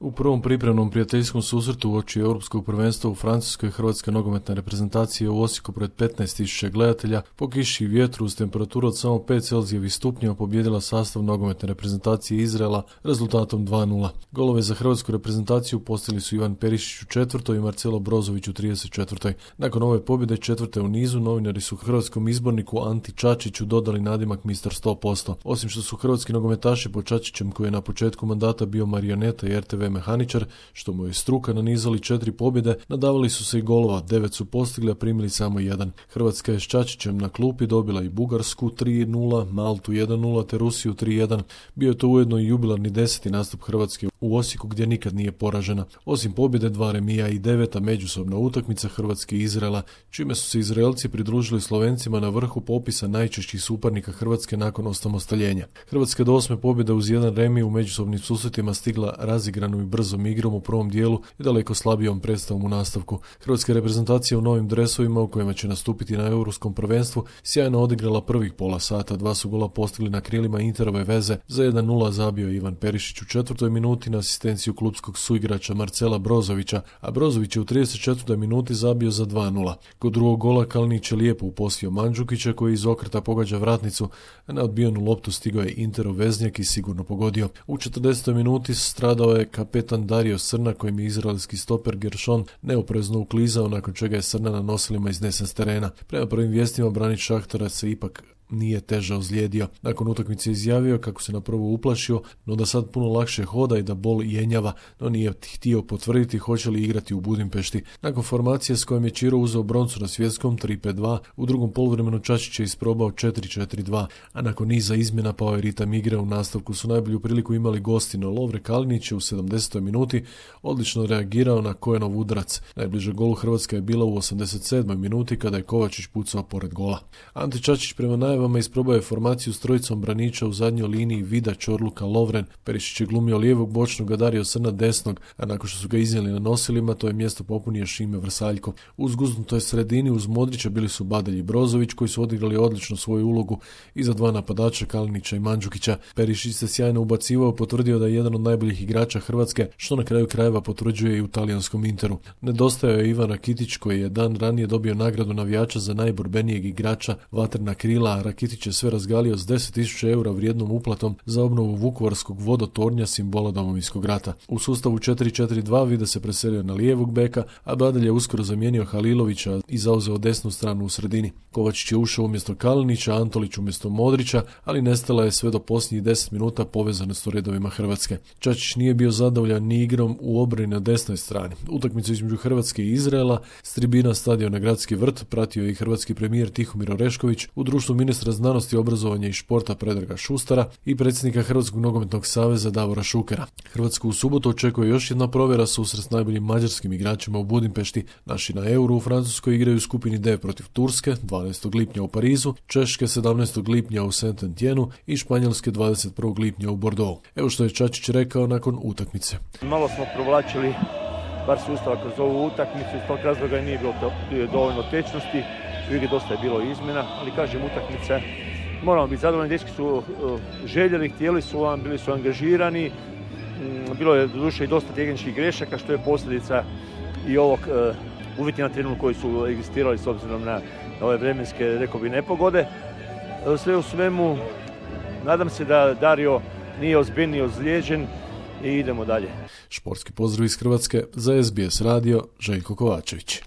U prvom pripremnom prijateljskom susretu uoči Europskog prvenstva u Francuskoj hrvatska nogometna reprezentacija u Osijeku pred 15.000 gledatelja po kiši i vjetru uz temperaturu od samo 5 Celzijevih stupnjeva pobijedila sastav nogometne reprezentacije Izraela rezultatom 2:0. Golove za hrvatsku reprezentaciju postigli su Ivan Perišić u 4. i Marcelo Brozović u 34. Nakon ove pobjede 4. u nizu, novinari su hrvatskom izborniku Anti Čačiću dodali nadimak Mr. 100%. Osim što su hrvatski nogometaši po Čačićem, koji je na početku mandata bio marioneta i RTV mehaničar, što mu je struka, nanizali 4 pobjede, nadavali su se i golova, 9 su postigli, a primili samo 1. Hrvatska je s Čačićem na klupi dobila i Bugarsku 3:0, Maltu 1:0 te Rusiju 3:1. Bio je to ujedno i jubilarni 10. nastup Hrvatske u Osijeku gdje nikad nije poražena. Osim pobjede, 2 remija i 9. međusobna utakmica Hrvatske i Izraela, čime su se Izraelci pridružili Slovencima na vrhu popisa najčešćih suparnika Hrvatske nakon osamostaljenja. Hrvatska do 8. pobjede uz 1 remi u međusobnim susretima stigla razigranom i brzom igrom u prvom dijelu i daleko slabijom predstavom u nastavku. Hrvatska reprezentacija u novim dresovima u kojima će nastupiti na Europskom prvenstvu sjajno odigrala prvih pola sata. 2 su gola postigli na krilima Interove veze. Za 1:0 zabio Ivan Perišić u 4. minuti na asistenciju klupskog suigrača Marcela Brozovića, a Brozović je u 34. minuti zabio za 2:0. Kod drugog gola Kalinić je lijepo uposlio Mandžukića koji iz okreta pogađa vratnicu, a na odbijenu loptu stigao je Interov veznjak i sigurno pogodio. U 40. minuti stradao je kapetan Dario Srna, kojim je izraelski stoper Gershon neoprezno uklizao, nakon čega je Srna na nosilima iznesen s terena. Prema prvim vijestima branitelj Šahtara se ipak nije teže ozlijedio. Nakon utakmice izjavio kako se na prvu uplašio, no da sad puno lakše hoda i da bol jenjava, no nije htio potvrditi hoće li igrati u Budimpešti. Nakon formacije s kojom je Čiro uzeo broncu na svjetskom 3-5-2, u drugom poluvremenu Čačić je isprobao 4-4-2, a nakon niza izmjena pao je ritam igre. U nastavku su najbolju priliku imali gosti, no Lovre Kalinić je u 70. minuti odlično reagirao na Kojenov udarac. Najbliže golu Hrvatska je bila u 87. minuti kada je Kovačić pucao pored gola. Ante Čačić prema najavama isprobao je formaciju s trojicom braniča u zadnjoj liniji Vida, Čorluka, Lovren. Perišić je glumio lijevog bočnog, a Dario Srna desnog, a nakon što su ga iznijeli na nosilima, to je mjesto popunio Šime Vrsaljko. U zguznutoj sredini uz Modrića bili su Badalj i Brozović, koji su odigrali odlično svoju ulogu iza 2 napadača Kalinića i Mandžukića. Perišić se sjajno ubacivao, potvrdio da je jedan od najboljih igrača Hrvatske, što na kraju krajeva potvrđuje i u talijanskom Interu. Nedostajao je Ivan Rakitić, koji je dan ranije dobio nagradu navijača za najborbenijeg igrača Vatrena krila, a Rakitić je sve razgalio s 10.000 eura vrijednom uplatom za obnovu vukovarskog vodotornja, simbola Domovinskog rata. U sustavu 4-4-2 Vida se preselio na lijevog beka, a Badalj je uskoro zamijenio Halilovića i zauzeo desnu stranu u sredini. Kovačić je ušao umjesto Kalinića, Antolić umjesto Modrića, ali nestala je sve do posljednjih 10 minuta povezanost u redovima Hrvatske. Čačić nije bio zadovoljan ni igrom u obrani na desnoj strani. Utakmicu između Hrvatske i Izraela s tribina stadiona Gradski vrt pratio je i hrvatski premijer Tihomir Orešković u društvu ministra znanosti, obrazovanja i športa Predraga Šustara i predsjednika Hrvatskog nogometnog saveza Davora Šukera. Hrvatsku u subotu očekuje još jedna provjera, susret s najboljim mađarskim igračima u Budimpešti. Naši na Euru u Francuskoj igraju u skupini D protiv Turske 12. lipnja u Parizu, Češke 17. lipnja u Saint-Étienne i Španjolske 21. lipnja u Bordeaux. Evo što je Čačić rekao nakon utakmice. Malo smo provlačili bar sustava kroz ovu utakmicu, iz tog razloga nije bilo dovoljno tečnosti, u igri dosta je bilo izmjena, ali kažem, utakmice moramo biti zadovoljni, dečki su željeli, htjeli su vam, bili su angažirani, bilo je doduše i dosta tehničkih grešaka, što je posljedica i ovog uvjeti na terenu koji su egzistirali s obzirom na ove vremenske, rekao bi, nepogode. Sve u svemu, nadam se da Dario nije ozbiljnije ozlijeđen i idemo dalje. Športski pozdrav iz Hrvatske za SBS radio, Željko Kovačević.